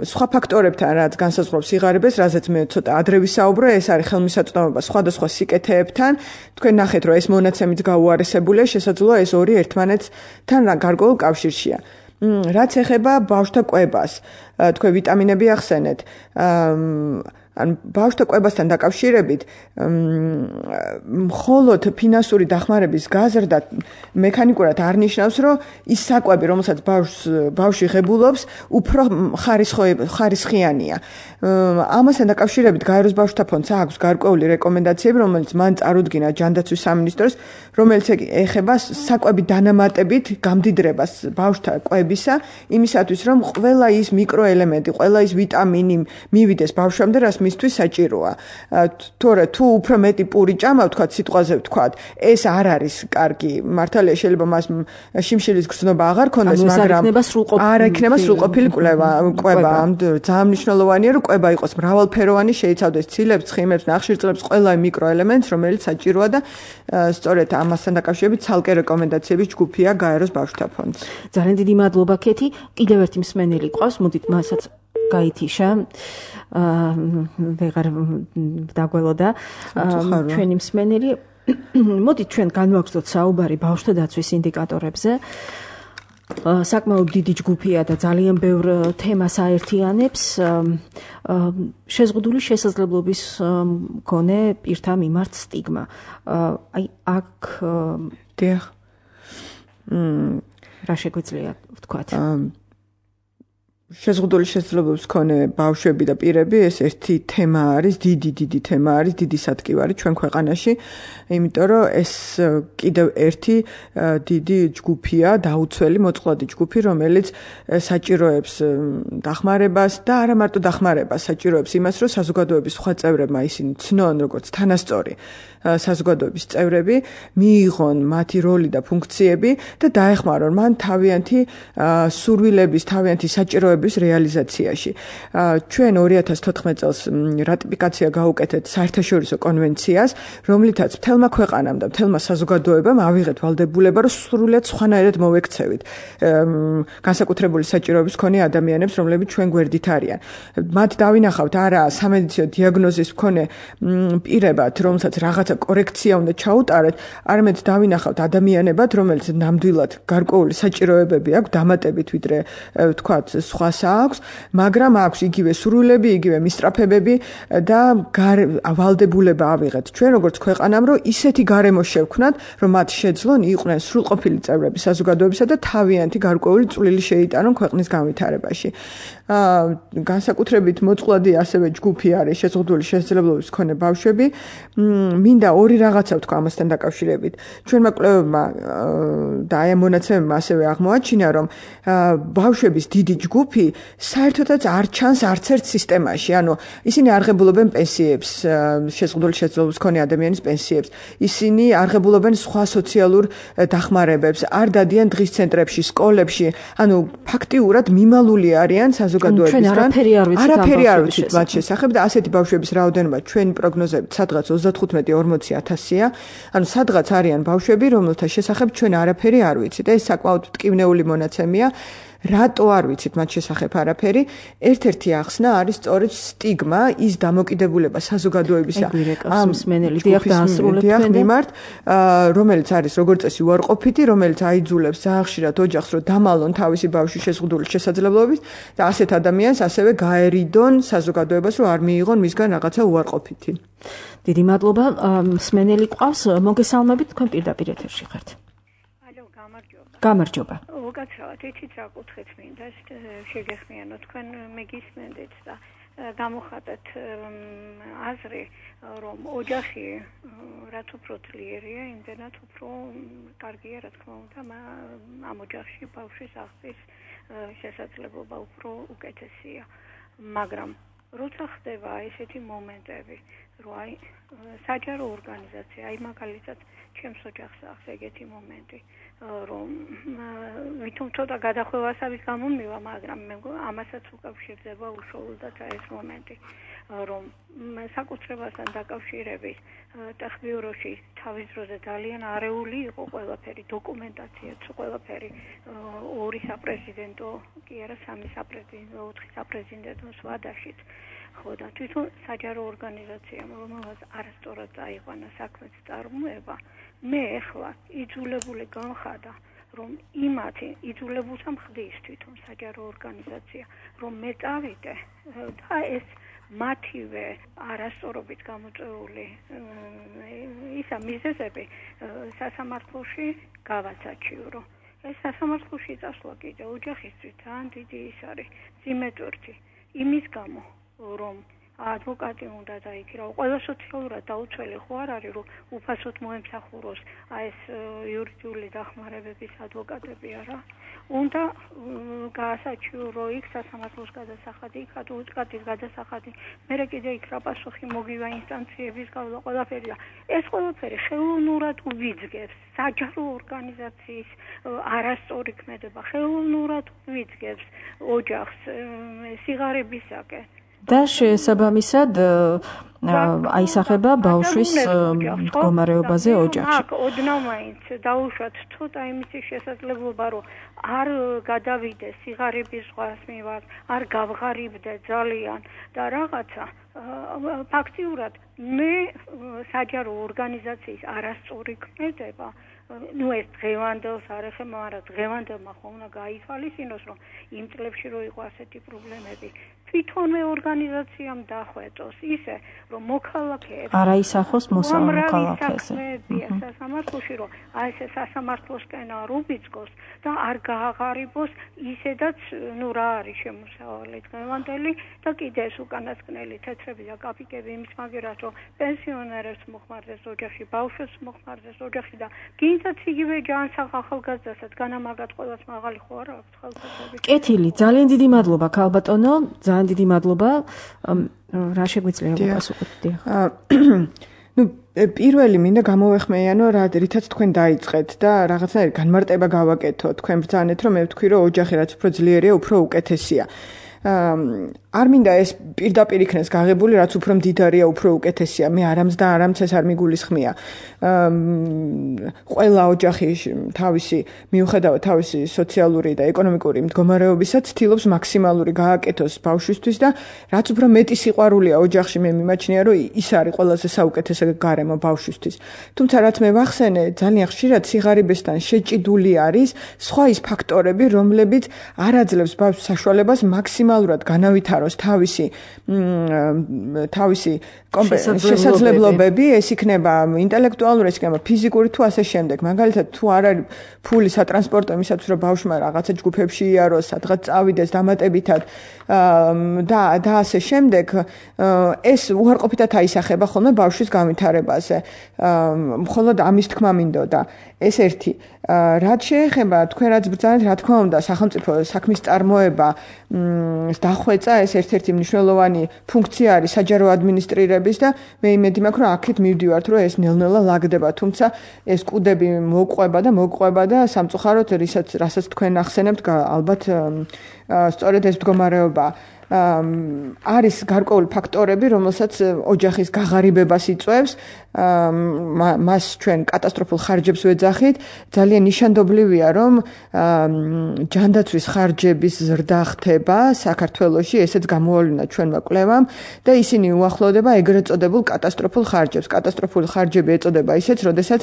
სხვა ფაქტორებთან, რაც განსაზღვრავს სიღარიბეს, რაზეც მე ცოტა ადრე ვისაუბრო, ეს არის ხელმისაწვდომობა სხვადასხვა სიკეთეებთან. თქვენ ნახეთ, რომ ეს მონაცემიც გაუარესებულია, შესაძლოა ეს ორი ერთმანეთთან გარკვეულ კავშირშია. რაც ეხება ბავშვთა კვებას, თქვენ ვიტამინები ახსენეთ. ან ბავშვთა კვებასთან დაკავშირებით მხოლოდ ფინანსური დახმარების გაზრდა მექანიკურად არ ნიშნავს, რომ ის საკვები, რომელსაც ბავშვი ღებულობს, უფრო ხარისხიანია. ამასთან დაკავშირებით გაეროს ბავშვთა ფონდს აქვს გარკვეული რეკომენდაციები, რომელიც მან წარუდგინა ჯანდაცვის სამინისტროს, რომელიც ეხება საკვები დანამატებით გამდიდრებას ბავშვთა კვებისა, იმისათვის, რომ ყველა ის მიკროელემენტი, ყველა ის ვიტამინი მივიდეს ბავშვამდე, რაც მისთვის საჭიროა. თორე თუ უფრო მეტი პური ჭამა, ვთქვათ, სიტყვაზე ვთქვათ, ეს არ არის კარგი. მართალია, შეიძლება მას შიმშილის გრძნობა აღარ ქონდეს, მაგრამ არ იქნება სრულყოფილი კვება. ძალიან მნიშვნელოვანია, რომ კვება იყოს მრავალფეროვანი, შეიცავდეს ცილებს, ცხიმებს, ნახშირწყლებს, ყველა მიკროელემენტს, რომელიც საჭიროა და სწორედ ამასთან დაკავშირებით ცალკე რეკომენდაციების ჯგუფია გაეროს ბავშვთა ფონდს. ძალიან დიდი მადლობა, ქეთი. კიდევ ერთი მსმენელი ყავს, მოდით მასაც გაითიშა. ვეღარ დაგველოდა ჩვენი მსმენელი. მოდით ჩვენ განვაგრძოთ საუბარი ბავშვთა დაცვის ინდიკატორებზე. საკმაოდ დიდი ჯგუფია და ძალიან ბევრ თემას აერთიანებს. შეზღუდული შესაძლებლობის მქონე პირთა მიმართ სტიგმა. აი აქ რა შეგვიძლია ვთქვათ? შეზღუდული შესაძლებლობის მქონე ბავშვები და პირები, ეს ერთი თემა არის, დიდი თემა არის, დიდი სათქივარი ჩვენ ქვეყანაში, იმიტომ რომ ეს კიდევ ერთი დიდი ჯგუფია, დაუცველი მოწყვლადი ჯგუფი, რომელიც საჭიროებს დახმარებას და არა მარტო დახმარებას, საჭიროებს იმას, რომ საზოგადოების სხვა წევრებმა ისინი ცნონ, როგორც თანასწორი საზოგადოების წევრები, მიიღონ მათი როლი და ფუნქციები და დაეხმარონ მან თავიანთი სურვილების, თავიანთი საჭიროების რეალიზაციაში. ჩვენ 2014 წელს რატიფიკაცია გაუკეთეთ საერთაშორისო კონვენციას, რომლითაც მთელმა ქვეყანამ და მთელმა საზოგადოებამ ავიღეთ ვალდებულება, რომ სრულად სხვანაირად მოვექცევით განსაკუთრებული საჭიროების მქონე ადამიანებს, რომლებიც ჩვენ გვერდით არიან. მათ დავინახავთ არა სამედიცინო დიაგნოზის მქონე პირებად, რომელსაც რაღაცა კორექცია უნდა ჩაუტარეთ, არამედ დავინახავთ ადამიანებად, რომელიც ნამდვილად გარკვეული საჭიროებები აქვს, დამატებით ვიდრე ვთქვათ, სხვას აქვს, მაგრამ აქვს იგივე სურვილები, იგივე მისწრაფებები და ვალდებულება ავიღეთ ჩვენ როგორც ქვეყანამ, რომ ისეთი გარემო შევქმნათ, რომ მათ შეძლონ იყვნენ სრულყოფილი წევრები საზოგადოებისა და თავიანთი გარკვეული წვლილი შეიტანონ ქვეყნის განვითარებაში. განსაკუთრებით მოწყვლადი ასევე ჯგუფი არის შეზღუდული შესაძლებლობის მქონე ბავშვები. მინდა ორი რაღაცა ვთქვა ამასთან დაკავშირებით. ჩვენმა კვლევებმა და აი ამ მონაცემებმა ასევე აღმოაჩინა, რომ ბავშვების დიდი ჯგუფი საერთოდაც არ ჩანს არც ერთ სისტემაში. ანუ ისინი არ ღებულობენ პენსიებს, შეზღუდული შესაძლებლობის მქონე ადამიანის პენსიებს. ისინი არ ღებულობენ სხვა სოციალურ დახმარებებს, არ დადიან დღის ცენტრებში, სკოლებში. ანუ ფაქტიურად მიმალული არიან საზოგადოებისგან. არაფერი არ ვიცით მათ შესახებ და ასეთი ბავშვების რაოდენობა ჩვენი პროგნოზებით სადღაც 35-40,000-ია. ანუ სადღაც არიან ბავშვები, რომელთა შესახებ ჩვენ არაფერი არ ვიცით. ეს საკმაოდ მტკივნეული მონაცემია. რატო არ ვიცით მათ შესახებ არაფერი? ერთ-ერთი ახსნა არის სწორედ სტიგმა, ის დამოკიდებულება საზოგადოებისა ამ მსმენელი მიმართ, რომელიც არის როგორც წესი უარყოფითი, რომელიც აიძულებს ძალიან ხშირად ოჯახს, რომ დამალონ თავისი ბავშვის შეზღუდული შესაძლებლობით და ასეთ ადამიანს ასევე გაერიდონ საზოგადოებას, რომ არ მიიღონ მისგან რაღაცა უარყოფითი. დიდი მადლობა. მსმენელი ყავს, მოგესალმებით, თქვენ პირდაპირ ეთერში ხართ. გამარჯობა. უკაცრავად იცით რა კუთხით მინდა შეგეხმიანოთ, თქვენ მეგისმენდით და გამოხატეთ აზრი, რომ ოჯახი რაც უფრო ძლიერია, იმდენად უფრო კარგია, რა თქმა უნდა, ამ ოჯახში ბავშვის აღზრდის შესაძლებლობა უფრო უკეთესია. მაგრამ როცა ხდება ესეთი მომენტები, რომ აი საჯარო ორგანიზაცია, აი მაგალითად ჩემს ოჯახს აქვს ეგეთი მომენტი, რომ ვითომ ცოტა გადახვევასავის გამომივა, მაგრამ მე ამასაც უკავშირდება უშუალოდ ეს მომენტი, რომ საკუთრებასთან დაკავშირებით ტექბიუროში თავის დროზე ძალიან არეული იყო ყველაფერი, დოკუმენტაციაც, ყველაფერი 2 საპრეზიდენტო, კი არა 3 საპრეზიდენტო, 4 საპრეზიდენტო ვადაშიც. ხო და თვითონ საჯარო ორგანიზაციამ, რომელსაც არასწორად წაიყვანა საქმის წარმოება, მე ახლა იძულებული განხადა, რომ იმათი იძულებულს ამხდის თვითონ საჯარო ორგანიზაცია, რომ მე წავიდე და ეს მათივე არასწორობით გამოწვეული ისა მიზეზები სასამართლოში გავაცაჩიურო. ეს სასამართლოში წასვლა კიდე ოჯახისთვის ძალიან დიდი ის არის ძიმეთურთი იმის გამო, რომ ადვოკატი უნდა დაიქირავო. ყველა სოციალურად დაუცველი ხო არ არის, რომ უფასოდ მოემსახუროს ეს იურიდიული დახმარებების ადვოკატები არა. უნდა გაასაჩიურო იქ სასამართლოს გადასახადი, იქ ადვოკატის გადასახადი, მერე კიდე იქ რა პასუხი მოგივა ინსტანციების გავლა ყველაფერი. ეს ყველაფერი ხელოვნურად უვიძგებს საჯარო ორგანიზაციის არასწორი ქმედება, ხელოვნურად უვიძგებს ოჯახს სიღარიბისაკენ. და შესაბამისად აისახება ბავშვის მდგომარეობაზე ოჯახში. ოდნავ მაინც დაუშვათ ცოტა იმისი შესაძლებლობა, რომ არ გადავიდეს სიღარიბის ზღვას მივარ, არ გავღარიბდე ძალიან და რაღაცა ფაქტიურად მე საჯარო ორგანიზაციის არასწორი ქმედება ну ეს დღევანდელს არ ეხება, მაგრამ დღევანდელმა ხომ უნდა გაითვალისწინოს, რომ იმ წლებში რო იყო ასეთი პრობლემები, თვითონვე ორგანიზაციამ დახვეწოს ისე, რომ მოქალაქეებს არ აისახოს მოქალაქეს. სასამართლოში, რომ აი ეს სასამართლოსკენ არ უბიძგოს და არ გააღარიბოს ისედაც, ну რა არის შემოსავალი დღევანდელი და კიდე ეს უკანასკნელი თეთრები და კაპიკები იმის მაგერად, რომ პენსიონერებს მოხმარდეს ოჯახში, ბავშვებს მოხმარდეს ოჯახში და გინდათ იგივე ჯანსაღ ახალგაზრდასაც განამაგად ყოველს მაღალი ხო არ აქვს ხალხები. კეთილი, ძალიან დიდი მადლობა ქალბატონო, ძალიან დიდი მადლობა. რა შეგვიძლია გასუხოთ? ну პირველი მინდა გამოვეხმეიანო რა რითაც თქვენ დაიწყეთ და რაღაცნაირი განმარტება გავაკეთო თქვენ ბრძანეთ რომ მე ვთქვი რომ ოჯახი რაც უფრო ძლიერია უფრო უკეთესია არ მინდა ეს პირდაპირ იქნეს გაღებული რაც უფრო მდიდარია უფრო უკეთესია მე არამც და არამც ეს არ მიგულისხმია ყველა ოჯახი თავისი მიუხედავად თავისი სოციალური და ეკონომიკური მდგომარეობისა ცდილობს მაქსიმალური გააკეთოს ბავშვისთვის და რაც უფრო მეტი სიყვარულია ოჯახში მე მიმაჩნია რომ ის არის ყველაზე საუკეთესო გარემო ბავშვისთვის თუმცა რაც მე ვახსენე ძალიან ხშირად სიღარიბესთან შეჭიდული არის სხვა ის ფაქტორები რომლებიც არ აძლევს ბავშვს საშუალებას მაქსიმალურად განავითაროს თავისი შესაძლებლობები ეს იქნება ინტელექტუალური ეს იქნება ფიზიკური თუ ასე შემდეგ მაგალითად თუ არ არის ფული სატრანსპორტო იმისათვის რომ ბავშვმა რაღაცა ჯგუფებში იაროს სადღაც წავიდეს დამატებითად და ასე შემდეგ ეს უარყოფითად აისახება ხოლმე ბავშვის განვითარებაზე მხოლოდ ამის თქმა მინდოდა ეს ერთი რაც შეეხება თქვენ რაც ბრძანეთ რა თქმა უნდა სახელმწიფო საქმის წარმოება დახვეწა ეს ერთ-ერთი მნიშვნელოვანი ფუნქცია არის საჯარო ადმინისტრირების და მე იმედი მაქვს რომ აქეთ მივდივართ რომ ეს ნელ-ნელა ლაგდება თუმცა ეს კუდები მოყვება და სამწუხაროდ რასაც თქვენ ახსენებთ ალბათ სწორედ ეს მდგომარეობა არის გარკვეული ფაქტორები რომელსაც ოჯახის გაღარიბებას იწვევს მას ჩვენ კატასტროფულ ხარჯებს ვეძახით ძალიან ნიშანდობლივია რომ ჯანდაცვის ხარჯების ზრდა ხდება საქართველოში ესეც გამოავლინა ჩვენმა კვლევამ და ისინი უახლოვდება ეგრეთ წოდებულ კატასტროფულ ხარჯებს კატასტროფული ხარჯები ეწოდება ისეც როდესაც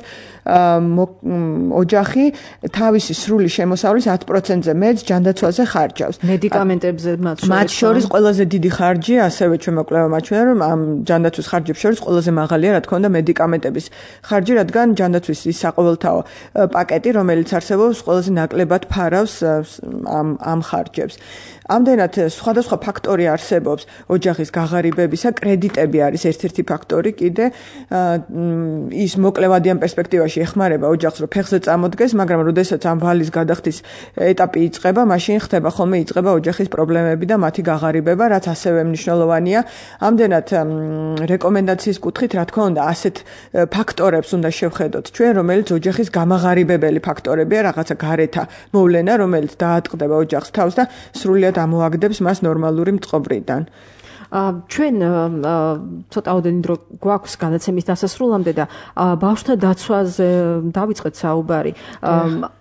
ოჯახი თავისი სრული შემოსავლის 10%-ზე მეტს ჯანდაცვაზე ხარჯავს მედიკამენტებზე მათ შორის ყველაზე დიდი ხარჯი ასევე ჩვენმა კვლევამ აჩვენა რომ ამ ჯანდაცვის ხარჯებს შორის ყველაზე მაღალია რა თქმა უნდა მედიკამენტების ხარჯი რადგან ჯანდაცვის ის საყოველთაო პაკეტი რომელიც არსებობს ყველაზე ნაკლებად ფარავს ამ ხარჯებს ამდენად სხვადასხვა ფაქტორი არსებობს ოჯახის გაღარიბებისა კრედიტები არის ერთ-ერთი ფაქტორი კიდე ის მოკლევადიან პერსპექტივაში ეხმარება ოჯახს რომ ფეხზე წამოდგეს მაგრამ როდესაც ამ ვალის გადახდის ეტაპი იწყება მაშინ ხდება ხოლმე იწყება ოჯახის პრობლემები და მათი გამაღარიბება, რაც ასევე მნიშვნელოვანია. ამდენად რეკომენდაციის კუთხით, რა თქმა უნდა, ასეთ ფაქტორებს უნდა შევხედოთ ჩვენ, რომელიც ოჯახის გამაღარიბებელი ფაქტორებია, რაღაცა გარეთა მოვლენა, რომელიც დაატყდება ოჯახს თავს და სრულიად ამოაგდებს მას ნორმალური მწყობრიდან. ჩვენ ცოტაოდენი დრო გვაქვს განაცემის დასასრულამდე და ბავშვთა დაცვაზე დავიწყეთ საუბარი.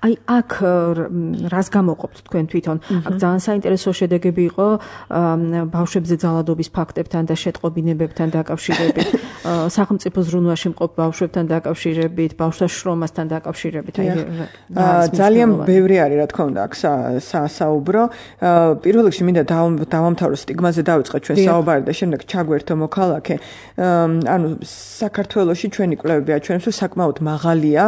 აი აქ რას გამოყოფთ თქვენ თვითონ? აქ ძალიან საინტერესო შედეგები იყო ბავშვებზე ძალადობის ფაქტებთან და შეტყობინებებთან დაკავშირებით, სახელმწიფო ზრუნვაში მყოფ ბავშვებთან დაკავშირებით, ბავშვთა შრომასთან დაკავშირებით. ძალიან ბევრი არის, რა თქმა უნდა, აქ საუბრო. პირველ რიგში მინდა დავამთავრო სტიგმაზე დავიწყეთ ჩვენ საუბარი და შემდეგ ჩაგვერთო მოქალაქე. ანუ საქართველოში ჩვენი კვლევები აჩვენებს, რომ საკმაოდ მაღალია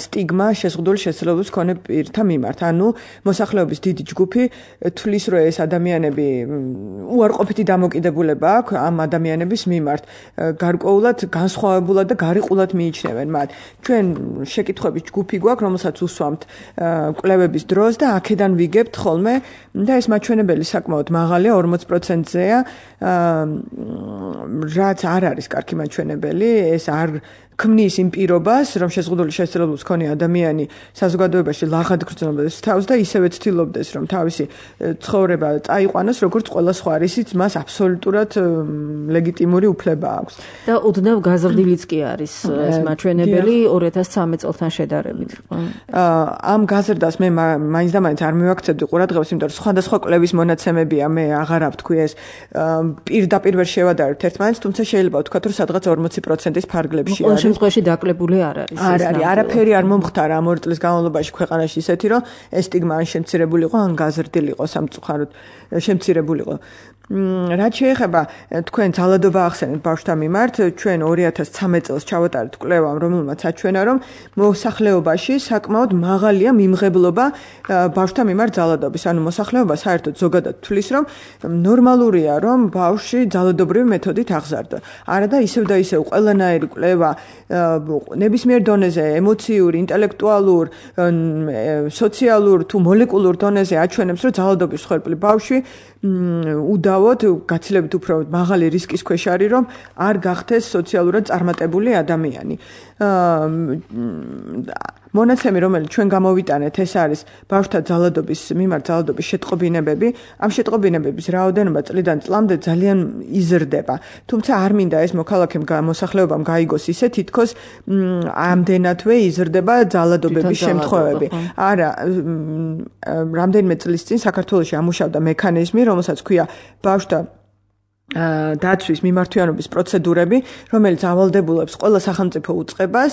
სტიგმა შეზღუდული შესაძლებლობის მქონე პირთა მიმართ. ანუ მოსახლეობის დიდი ჯგუფი თვლის, რომ ეს ადამიანები უარყოფითი დამოკიდებულება აქვს ამ ადამიანების მიმართ. გარკვეულად განსხვავებულად და გარიყულად მიიჩნევენ მათ. ჩვენ შეკითხვების ჯგუფი გვაქვს, რომელსაც უსვამთ კვლევების დროს და აქედან ვიგებთ ხოლმე და ეს მაჩვენებელი საკმაოდ მაღალია, 40%-ზეა. რაც არ არის კარგი მაჩვენებელი, ეს არ ქმნის იმ პირობას, რომ შეზღუდული შესაძლებლობის მქონე ადამიანი საზოგადოებაში ლაღად გრძნობს თავს და ისევე ცდილობდეს, რომ თავისი ცხოვრება წაიყვანოს, როგორც ყველა სხვა, ისიც მას აბსოლუტურად ლეგიტიმური უფლება აქვს. და უდნავ გაზრდილიც კი არის ეს მაჩვენებელი 2013 წელთან შედარებით. ამ გაზრდას მე მაინც და მაინც არ მივაქცევდი ყურადღებას, იმიტომ რომ სხვადასხვა კვლევის მონაცემებია, მე აღარ ვთქვი ეს პირდაპირ ვერ შევადარებთ ერთმანეთს, თუმცა შეიძლება ვთქვათ, რომ სადღაც 40%-ის ფარგლებში არის. შემთხვევაში დაკლებული არ არის. არ არის, არაფერი არ მომხდარა ამ 2 წლის განმავლობაში ქვეყანაში ისეთი, რომ ეს სტიგმა ან შემცირებულიყო, ან გაზრდილიყო, სამწუხაროდ შემცირებულიყო. რაც შეეხება თქვენ ძალადობა ახსენეთ ბავშვთა მიმართ, ჩვენ 2013 წელს ჩავატარეთ კვლევამ, რომელმაც აჩვენა, რომ მოსახლეობაში საკმაოდ მაღალია მიმღებლობა ბავშვთა მიმართ ძალადობის. ანუ მოსახლეობა საერთოდ ზოგადად თვლის, რომ ნორმალურია, რომ ბავშვი ძალადობრივი მეთოდით აღზარდო. არა და ისევ და ისევ ყველანაირი კვლევა ნებისმიერ დონეზე, ემოციურ, ინტელექტუალურ, სოციალურ თუ მოლეკულურ დონეზე აჩვენებს, რომ ძალადობის მსხვერპლი ბავშვი უდავოდ გაცილებით უფრო მაღალი რისკის ქვეშ არის, რომ არ გახდეს სოციალურად წარმატებული ადამიანი. მონაცემი, რომელიც ჩვენ გამოვიტანეთ, ეს არის ბავშვთა ძალადობის მიმართ ძალადობის შეტყობინებები. ამ შეტყობინებების რაოდენობა წლიდან წლამდე ძალიან იზრდება. თუმცა არ მინდა ეს მოსახლეობამ გაიგოს ისე, თითქოს ამდენადვე იზრდება ძალადობების შემთხვევები. არა, რამდენიმე წლის წინ საქართველოში ამუშავდა მექანიზმი, რომელსაც ქვია ბავშვთა დაცვის მიმართვიანობის პროცედურები, რომელიც ავალდებულებს ყველა სახელმწიფო უწყებას,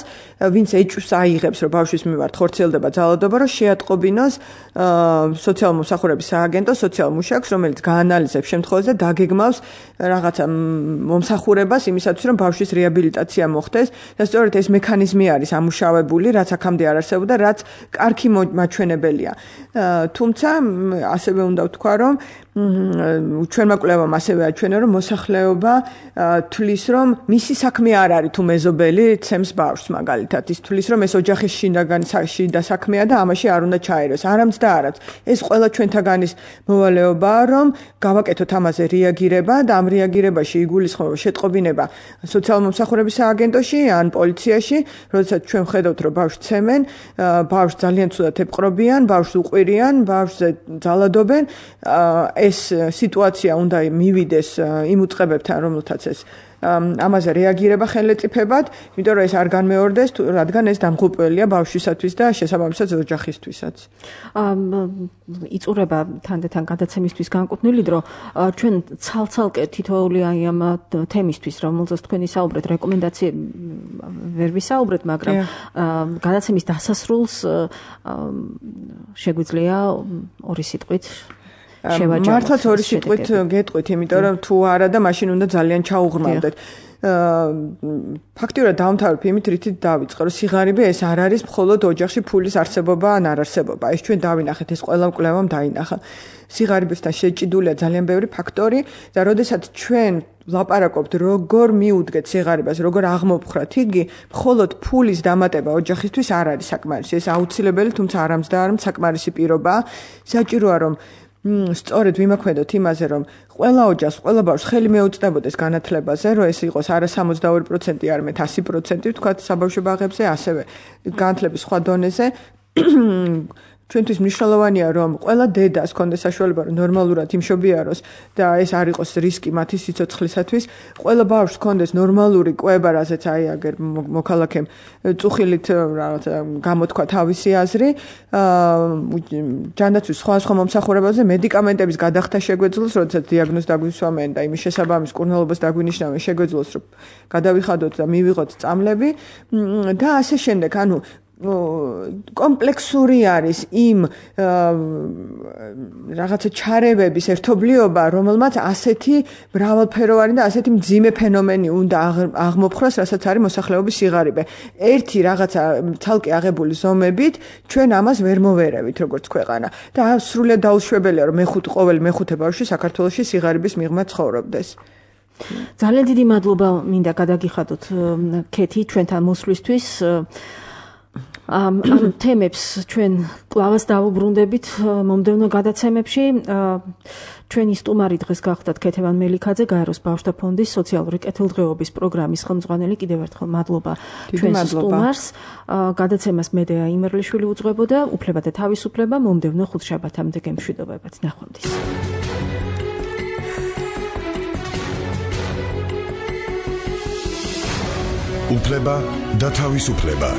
ვინც ეჭვს აიღებს, რომ ბავშვის მიმართ ხორციელდება ძალადობა, რომ შეატყობინოს სოციალური მომსახურების სააგენტო სოციალურ მუშაკს, რომელიც გაანალიზებს შემთხვევას და დაგეგმავს რაღაცა მომსახურებას იმისათვის, რომ ბავშვის რეაბილიტაცია მოხდეს. და სწორედ ეს მექანიზმი არის ამუშავებული, რაც აქამდე არ არსებობდა, რაც კარგი მაჩვენებელია. თუმცა ასევე უნდა ვთქვა, რომ ჩვენმა კვლევამ ასევე აჩვენა, რომ მოსახლეობა თვლის, რომ მისი საქმე არ არის თუ მეზობელი ცემს ბავშვს მაგალითად. ის თვლის, რომ ეს ოჯახის შიდა საქმეა და ამაში არ უნდა ჩაეროს. არამც და არამც. ეს ყველა ჩვენთაგანის მოვალეობაა, რომ გავაკეთოთ ამაზე რეაგირება და ამ რეაგირებაში იგულისხმება შეტყობინება სოციალურ მომსახურების სააგენტოში ან პოლიციაში, როდესაც ჩვენ ვხედავთ, რომ ბავშვს ცემენ, ბავშვს ძალიან ცუდად ეპყრობიან, ბავშვს უყვირიან, ბავშვზე ძალადობენ. ეს სიტუაცია უნდა მივიდეს იმ უწყებებთან, რომელთაც ეს ამაზე რეაგირება ხელეწიფებად, იმიტომ რომ ეს არ განმეორდეს, რადგან ეს დამღუპველია ბავშვისათვის და შესაბამისად ოჯახისთვისაც. იწურება თანდათან გადაცემისთვის განკუთვნილი დრო, ჩვენ ცალ-ცალკე თითოეული აი ამ თემისთვის, რომელზეც თქვენი საუბრეთ, რეკომენდაციები ვერ ვისაუბრეთ, მაგრამ გადაცემის დასასრულს შეგვიძლია ორი სიტყვით მართლაც ორი სიტყვით გეტყვით, იმიტომ რომ თუ არა და მაშინ უნდა ძალიან ჩაუღრმავდეთ. ფაქტიურად დავამთავრებ იმით, რითიც დავიწყე, რომ სიღარიბე ეს არ არის მხოლოდ ოჯახში ფულის არსებობა ან არარსებობა. ეს ჩვენ დავინახეთ, ეს ყველა კვლევამ დაინახა. სიღარიბესთან შეჭიდულია ძალიან ბევრი ფაქტორი და როდესაც ჩვენ ლაპარაკობთ, როგორ მიუდგეთ სიღარიბეს, როგორ აღმოფხრათ, იგი მხოლოდ ფულის დამატება ოჯახისთვის არ არის საკმარისი. ეს აუცილებელი, თუმცა არამც და არამც საკმარისი პირობაა. საჭიროა რომ სწორედ ვიმოქმედოთ იმაზე, რომ ყველა ოჯახს, ყველა ბავშვს ხელი მეუწყდებოდეს განათლებაზე, რომ ეს იყოს არა 62%, არამედ 100%, თქვათ საბავშვო ბაღებზე, ასევე განათლების სხვა დონეზე. ჩვენთვის მნიშვნელოვანია, რომ ყველა დედას ჰქონდეს საშუალება, რომ ნორმალურად იმშობიაროს და ეს არ იყოს რისკი მათი სიცოცხლისათვის. ყველა ბავშვს ჰქონდეს ნორმალური კვება, რაზეც აგერ მოქალაქემ წუხილით რაღაცა გამოთქვა თავისი აზრი. ჯანდაცვის სხვა მომსახურებაზე მედიკამენტების გადახდა შეგვეძლოს, როდესაც დიაგნოზს დაგვისვამენ და იმის შესაბამის კურნალობას დაგვინიშნავენ, შეგვეძლოს, რომ გადავიხადოთ და მივიღოთ წამლები და ასე შემდეგ. ანუ კომპლექსური არის იმ რაღაცა ჩარევების ერთობლიობა, რომელმაც ასეთი მრავალფეროვანი და ასეთი მძიმე ფენომენი უნდა აღმოფხრას, რასაც არის მოსახლეობის სიღარიბე. ერთი რაღაცა ცალკე აღებული ზომებით ჩვენ ამას ვერ მოვერევით როგორც ქვეყანა და სრულიად დაუშვებელია, რომ ყოველი მეხუთე ბავშვი საქართველოში სიღარიბის მიღმა ცხოვრობდეს. ძალიან დიდი მადლობა მინდა გადაგიხადოთ ქეთი ჩვენთან მოსვლისთვის. ამ თემებს ჩვენ კლავას დავუბრუნდებით მომდევნო გადაცემებში. ჩვენი სტუმარი დღეს გახლდათ ქეთევან მელიქაძე, გაეროს ბავშვთა ფონდის სოციალური კეთილდღეობის პროგრამის ხელმძღვანელი. კიდევ ერთხელ მადლობა ჩვენს სტუმარს. გადაცემას მედეა იმერლიშვილი უძღვებოდა. უფლება და თავისუფლება მომდევნო ხუთშაბათამდე გემშვიდობებათ. ნახვამდის. უფლება და თავისუფლება.